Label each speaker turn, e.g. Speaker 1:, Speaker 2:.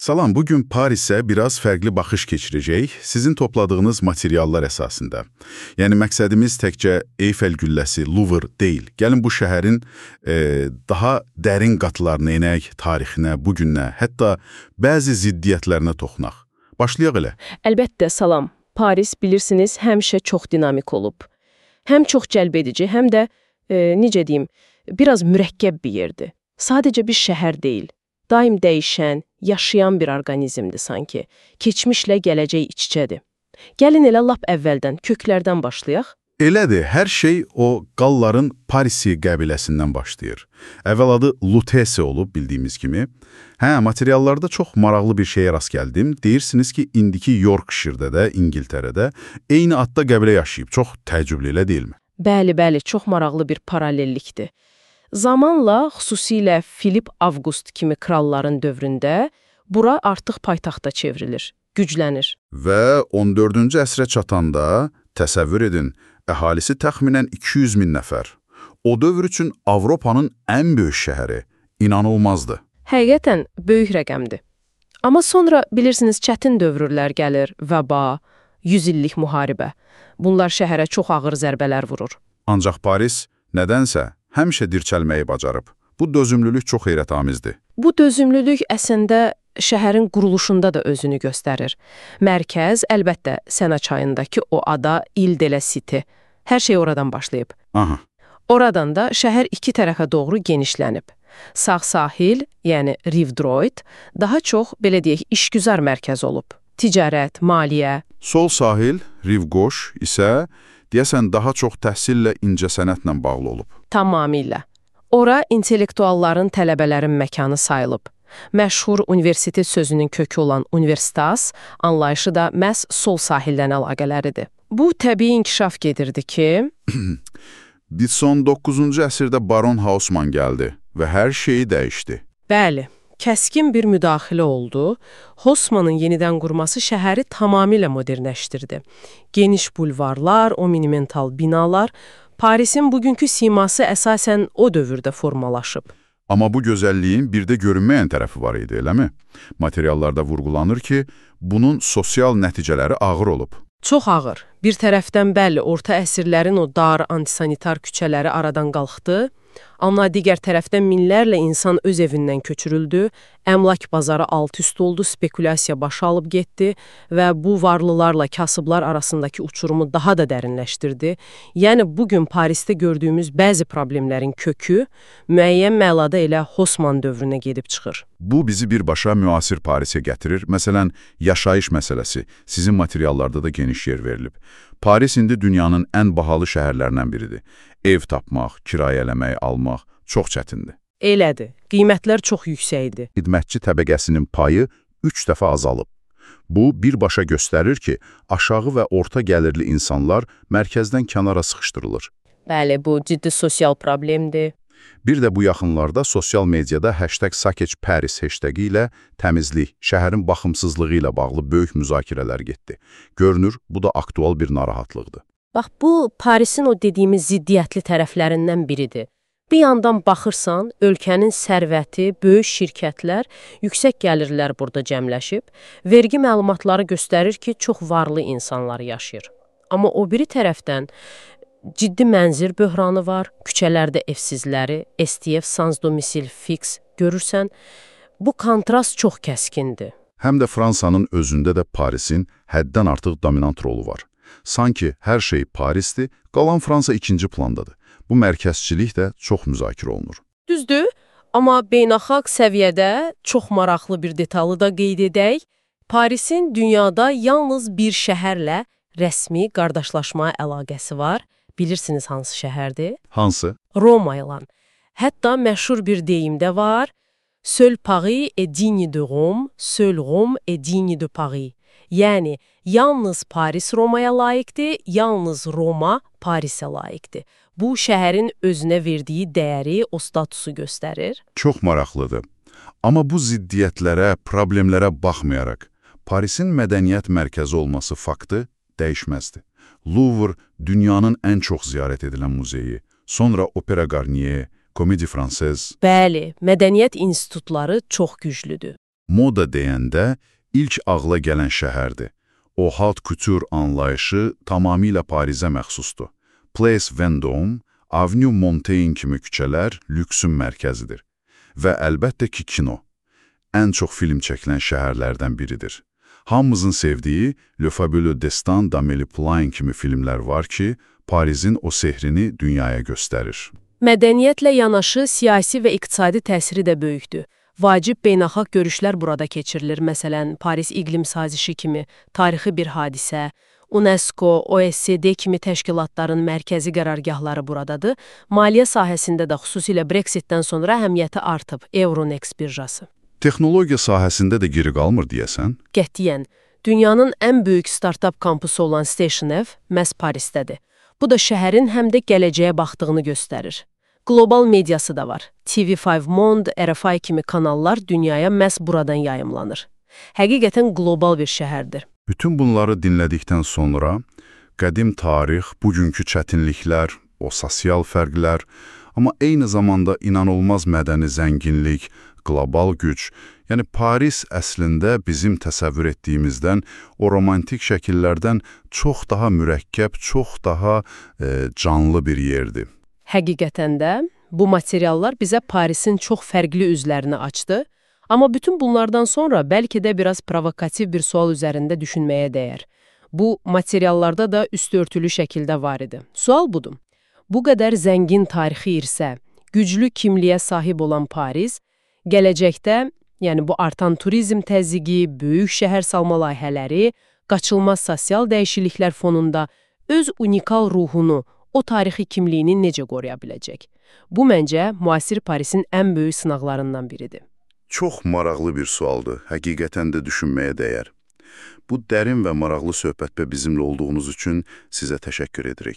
Speaker 1: Salam, bugün Paris'e biraz fərqli baxış keçirəcək, sizin topladığınız materiallar əsasında. Yəni, məqsədimiz təkcə Eyfel gülləsi, Louvre deyil. Gəlin bu şəhərin daha dərin qatlarına enək, tarixinə, bugünə, hətta bəzi ziddiyyətlərinə toxunaq. Başlayaq elə.
Speaker 2: Əlbəttə, salam. Paris, bilirsiniz, həmişə çox dinamik olub. Həm çox cəlbedici, həm də, necə deyim, biraz mürəkkəb bir yerdir. Sadəcə bir şəhər deyil. Daim dəyişən, yaşayan bir orqanizmdir sanki. Keçmişlə gələcək iç-içədir. Gəlin elə lap əvvəldən, köklərdən başlayaq.
Speaker 1: Elədir, hər şey o Qalların Parisi qəbiləsindən başlayır. Əvvəl adı Lutece olub, bildiyimiz kimi. Materiallarda çox maraqlı bir şeyə rast gəldim. Deyirsiniz ki, indiki Yorkshire-də də, İngiltərədə eyni adda qəbilə yaşayıb. Çox təəccüblü, elə deyilmi?
Speaker 2: Bəli, çox maraqlı bir paralellikdir. Zamanla, xüsusilə Filip Avqust kimi kralların dövründə bura artıq paytaxta çevrilir, güclənir.
Speaker 1: Və 14-cü əsrə çatanda, təsəvvür edin, əhalisi təxminən 200 min nəfər. O dövr üçün Avropanın ən böyük şəhəri, inanılmazdı.
Speaker 2: Həqiqətən böyük rəqəmdir. Amma sonra, bilirsiniz, çətin dövrlər gəlir, vəba, 100 illik müharibə. Bunlar şəhərə çox ağır zərbələr vurur.
Speaker 1: Ancaq Paris nədənsə həmişə dirçəlməyi bacarıb. Bu dözümlülük çox heyrətamizdir.
Speaker 2: Bu dözümlülük əslində şəhərin quruluşunda da özünü göstərir. Mərkəz, əlbəttə, Sena çayındakı o ada Ile de la Cité. Hər şey oradan başlayıb.
Speaker 1: Aha.
Speaker 2: Oradan da şəhər iki tərəfə doğru genişlənib. Sağ sahil, yəni Rive Droit, daha çox, belə deyək, işgüzar mərkəz olub. Ticarət, maliyyə.
Speaker 1: Sol sahil, Rive Gauche isə deyəsən daha çox təhsillə, incəsənətlə bağlı olub.
Speaker 2: Tamamilə. Ora intellektualların, tələbələrin məkanı sayılıb. Məşhur universitet sözünün kökü olan universitas anlayışı da məhz sol sahildən əlaqələridir. Bu təbii inkişaf gedirdi ki...
Speaker 1: Biz son 9-cu əsrdə Baron Haussmann gəldi və hər şeyi dəyişdi.
Speaker 2: Bəli, kəskin bir müdaxilə oldu. Haussmannın yenidən qurması şəhəri tamamilə modernləşdirdi. Geniş bulvarlar, o monumental binalar, Parisin bugünkü siması əsasən o dövrdə formalaşıb.
Speaker 1: Amma bu gözəlliyin bir də görünməyən tərəfi var idi, eləmi? Materiallarda vurğulanır ki, bunun sosial nəticələri ağır olub.
Speaker 2: Çox ağır. Bir tərəfdən bəli, orta əsrlərin o dar, antisanitar küçələri aradan qalxdı, amma digər tərəfdən minlərlə insan öz evindən köçürüldü, əmlak bazarı alt-üst oldu, spekulyasiya başa alıb getdi və bu varlılarla kasıblar arasındakı uçurumu daha da dərinləşdirdi. Yəni, bugün Parisdə gördüyümüz bəzi problemlərin kökü müəyyən mənada elə Haussmann dövrünə gedib çıxır.
Speaker 1: Bu bizi birbaşa müasir Parisə gətirir. Məsələn, yaşayış məsələsi sizin materiallarda da geniş yer verilib. Paris indi dünyanın ən bahalı şəhərlərindən biridir. Ev tapmaq, kirayələmək, almaq çox çətindir.
Speaker 2: Elədir. Qiymətlər çox yüksəkdir.
Speaker 1: Xidmətçi təbəqəsinin payı 3 dəfə azalıb. Bu, birbaşa göstərir ki, aşağı və orta gəlirli insanlar mərkəzdən kənara sıxışdırılır.
Speaker 2: Bəli, bu ciddi sosial problemdir.
Speaker 1: Bir də bu yaxınlarda sosial mediada #SakeCParis hashtagi ilə təmizlik, şəhərin baxımsızlığı ilə bağlı böyük müzakirələr getdi. Görünür, bu da aktual bir narahatlıqdır.
Speaker 2: Bax, bu Parisin o dediyimiz ziddiyyətli tərəflərindən biridir. Bir yandan baxırsan, ölkənin sərvəti, böyük şirkətlər, yüksək gəlirlər burada cəmləşib, vergi məlumatları göstərir ki, çox varlı insanlar yaşayır. Amma o biri tərəfdən ciddi mənzil böhranı var, küçələrdə evsizləri, STF, sans domicil fix görürsən, bu kontrast çox kəskindir.
Speaker 1: Həm də Fransanın özündə də Parisin həddən artıq dominant rolu var. Sanki hər şey Parisdir, qalan Fransa ikinci plandadır. Bu mərkəzçilik də çox müzakirə olunur.
Speaker 2: Düzdür, amma beynəlxalq səviyyədə çox maraqlı bir detalı da qeyd edək. Parisin dünyada yalnız bir şəhərlə rəsmi qardaşlaşma əlaqəsi var. Bilirsiniz hansı şəhərdir?
Speaker 1: Hansı?
Speaker 2: Roma ilə. Hətta məşhur bir deyim də var. Seul Paris est digne de Rome, seul Rome est digne de Paris. Yəni, yalnız Paris Romaya layiqdir, yalnız Roma Parisə layiqdir. Bu, şəhərin özünə verdiyi dəyəri, o statusu göstərir.
Speaker 1: Çox maraqlıdır. Amma bu ziddiyyətlərə, problemlərə baxmayaraq, Parisin mədəniyyət mərkəzi olması faktı dəyişməzdir. Louvre dünyanın ən çox ziyarət edilən muzeyi, sonra Opera Garnier, Comédie Française.
Speaker 2: Bəli, mədəniyyət institutları çox güclüdür.
Speaker 1: Moda deyəndə ilk ağla gələn şəhərdir. O haute couture anlayışı tamamilə Parizə məxsusdur. Place Vendôme, Avenue Montaigne kimi küçələr lüksün mərkəzidir. Və əlbəttə ki, kino. Ən çox film çəkilən şəhərlərdən biridir. Hamımızın sevdiyi Le Fabuleux Destin d'Amélie Poulain kimi filmlər var ki, Parizin o sehrini dünyaya göstərir.
Speaker 2: Mədəniyyətlə yanaşı siyasi və iqtisadi təsiri də böyükdür. Vacib beynəlxalq görüşlər burada keçirilir. Məsələn, Paris İqlim Sazişi kimi tarixi bir hadisə, UNESCO, OECD kimi təşkilatların mərkəzi qərargahları buradadır. Maliyyə sahəsində də xüsusilə Brexitdən sonra əhəmiyyəti artıb, Euronext birjası.
Speaker 1: Texnologiya sahəsində də geri qalmır deyəsən?
Speaker 2: Qətiyyən, dünyanın ən böyük startap kampusu olan Station F məhz Parisdədir. Bu da şəhərin həm də gələcəyə baxdığını göstərir. Qlobal mediası da var. TV5 Monde, RFI kimi kanallar dünyaya məhz buradan yayımlanır. Həqiqətən qlobal bir şəhərdir.
Speaker 1: Bütün bunları dinlədikdən sonra qədim tarix, bugünkü çətinliklər, o sosial fərqlər, amma eyni zamanda inanılmaz mədəni zənginlik, qlobal güc, yəni Paris əslində bizim təsəvvür etdiyimizdən, o romantik şəkillərdən çox daha mürəkkəb, çox daha canlı bir yerdir.
Speaker 2: Həqiqətən də bu materiallar bizə Parisin çox fərqli üzlərini açdı, amma bütün bunlardan sonra bəlkə də biraz provokativ bir sual üzərində düşünməyə dəyər. Bu materiallarda da üstörtülü şəkildə var idi. Sual budur. Bu qədər zəngin tarixi irsə, güclü kimliyə sahib olan Paris, gələcəkdə, yəni bu artan turizm təzyiqi, böyük şəhər salma layihələri, qaçılmaz sosial dəyişikliklər fonunda öz unikal ruhunu, o tarixi kimliyini necə qoruya biləcək? Bu, məncə, müasir Parisin ən böyük sınaqlarından biridir.
Speaker 1: Çox maraqlı bir sualdır, həqiqətən də düşünməyə dəyər. Bu dərin və maraqlı söhbətdə bizimlə olduğunuz üçün sizə təşəkkür edirik.